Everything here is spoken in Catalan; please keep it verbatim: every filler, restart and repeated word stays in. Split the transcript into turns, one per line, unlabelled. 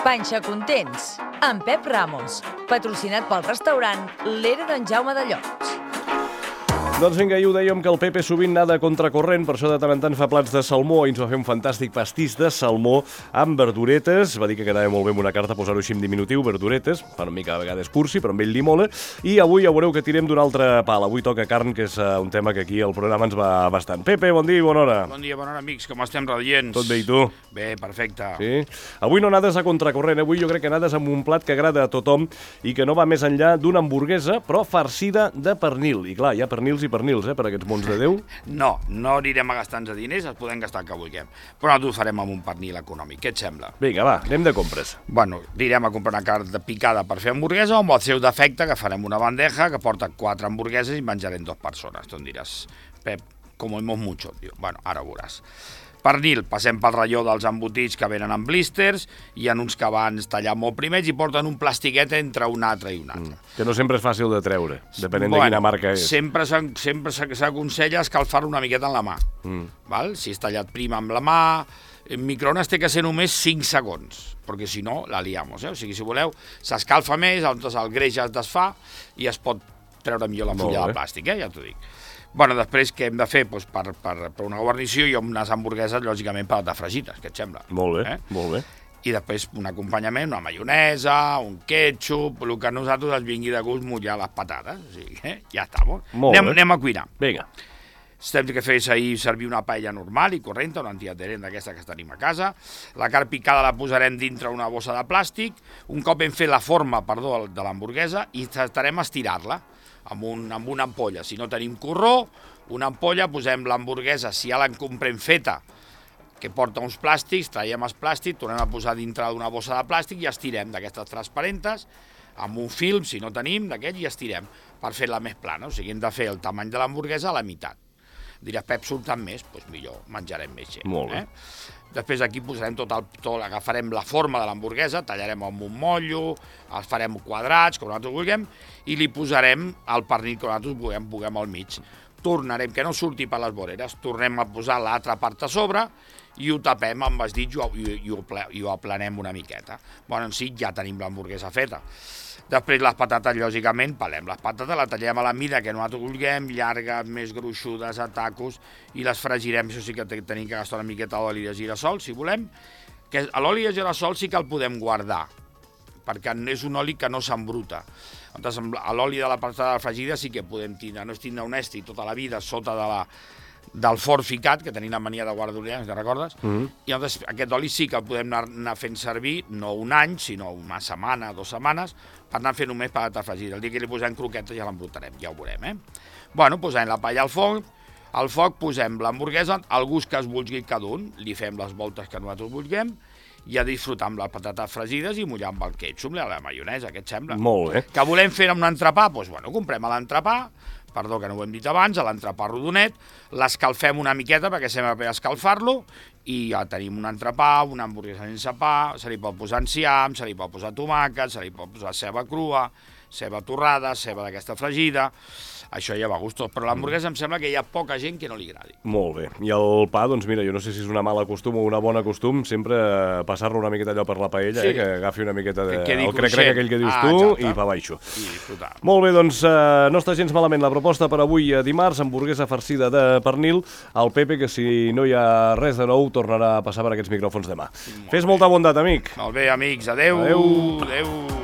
Panxa Contents, amb Pep Ramos, patrocinat pel restaurant L'Era d'en Jaume de Llots.
Doncs vinga, i ho dèiem que el Pepe sovint nada contracorrent, per això de tant en tant fa plats de salmó i ens va fer un fantàstic pastís de salmó amb verduretes. Va dir que quedava molt bé amb una carta posar-ho així en diminutiu, verduretes, fa una mica a vegades cursi, però amb ell li mola. I avui ja veureu que tirem d'un altre pal. Avui toca carn, que és uh, un tema que aquí al programa ens va bastant. Pepe, bon dia i bona hora.
Bon dia, bona hora, amics, com estem radients?
Tot bé, i tu?
Bé, perfecte.
Sí? Avui no nades a contracorrent, avui jo crec que nades amb un plat que agrada a tothom i que no va més enllà d'una hamburguesa, però farcida de pernil. I clar, hi ha pernils i pernils, eh, per aquests mons de Déu.
No, no anirem a gastar-nos diners, els podem gastar el que vulguem. Però nosaltres ho farem amb un pernil econòmic. Què et sembla?
Vinga, va, anem de compres.
Bueno, anirem a comprar una carn picada per fer hamburguesa o amb el seu defecte que farem una bandeja que porta quatre hamburgueses i menjarem dues persones. Tu em diràs, Pep, comemos mucho, tio. Bueno, ara ho veuràs. Pernil, passem pel ratlló dels embotits que venen en blisters, hi ha uns que van tallar molt primers i porten un plastiquet entre un altre i un altre.
Mm, que no sempre és fàcil de treure, depenent
bueno,
de quina marca és.
Sempre s'aconsella escalfar-lo una miqueta en la mà. Mm. Val? Si és tallat prim amb la mà, en microones té que ser només cinc segons, perquè si no la liamos. Eh? O sigui, si voleu, s'escalfa més, el greix es desfà i es pot treure millor la fulla de plàstic, eh? Ja t'ho dic. Bueno, després, què hem de fer? Pues per, per, per una guarnició i unes hamburgueses, lògicament, patates fregides, què et sembla?
Molt bé,
eh?
molt bé.
I després un acompanyament, una maionesa, un ketchup, el que a nosaltres ens vingui de gust mullar les patates. O sigui, eh? Ja està. Anem, anem a cuinar.
Vinga.
Hem de fer ahir servir una paella normal i correnta, una antiadherent d'aquesta que tenim a casa. La carn picada la posarem dintre una bossa de plàstic. Un cop hem fet la forma, perdó, de l'hamburguesa i estarem a estirar-la amb, un, amb una ampolla. Si no tenim corró, una ampolla, posem l'hamburguesa, si ja la comprem feta, que porta uns plàstics, traiem els plàstics, tornem a posar dintre d'una bossa de plàstic i estirem d'aquestes transparentes, amb un film, si no tenim, d'aquest, i estirem per fer-la més plana. O sigui, hem de fer el tamany de l'hamburguesa a la meitat. Diràs, Pep, surten més? Doncs millor, menjarem més gent.
Molt bé.
Eh? Després aquí posarem tot el... Tot, agafarem la forma de l'hamburguesa, tallarem amb un motllo, els farem quadrats, com nosaltres vulguem, i li posarem el pernil que nosaltres vulguem, vulguem al mig. Tornarem, que no surti per les voreres, tornem a posar l'altra part a sobre i ho tapem amb els dits i ho, i, i, ho, i ho aplanem una miqueta. Bueno, en si ja tenim l'hamburguesa feta. Després les patates, lògicament, pelem les patates, la tallem a la mida que nosaltres vulguem, llargues, més gruixudes, a tacos, i les fregirem, això sí que tenim que gastar una miqueta d'oli de girassol, si volem, que l'oli de girassol sí que el podem guardar, perquè és un oli que no s'embruta. L'oli de la patata fregida sí que podem tindre, no és tindre un esti tota la vida sota de la, del forn ficat, que tenim la mania de guardar-ho, si te recordes, mm-hmm. I llavors aquest oli sí que el podem anar, anar fent servir, no un any, sinó una setmana, dues setmanes, per anar fent només patata fregida. El dia que li posem croquetes ja l'embrutarem, ja ho veurem, eh? Bueno, posem la palla al foc, al foc posem l'hamburguesa, al gust que es vulgui cada un, li fem les voltes que nosaltres vulguem, i a disfrutar amb les patates fregides i mullar amb el ketchup, la maionesa, què et sembla?
Molt bé.
Que volem fer amb un entrepà? Doncs bueno, comprem l'entrepà, perdó que no ho hem dit abans, a l'entrepà rodonet, l'escalfem una miqueta perquè sembla per escalfar-lo i ja tenim un entrepà, una hamburguesa sense pa, se li pot posar enciam, se li pot posar tomàquet, se li pot posar ceba crua, ceba torrada, ceba d'aquesta fregida, això ja va a gustos, però l'hamburguesa em sembla que hi ha poca gent que no li agradi.
Molt bé. I el pa, doncs mira, jo no sé si és una mala costum o una bona costum, sempre passar-lo una miqueta allò per la paella, sí. eh, que agafi una miqueta de...
Que
el crec-crec aquell que dius
ah,
tu
exacte.
I pa baixo.
I disfrutar.
Molt bé, doncs uh, no està gens malament la proposta per avui dimarts, hamburguesa farcida de pernil. El Pepe, que si no hi ha res de nou, tornarà a passar per aquests micròfons demà. Molt Fes bé. Molta bondat, amic.
Molt bé, amics. Adeu.
Adeu.
Adeu.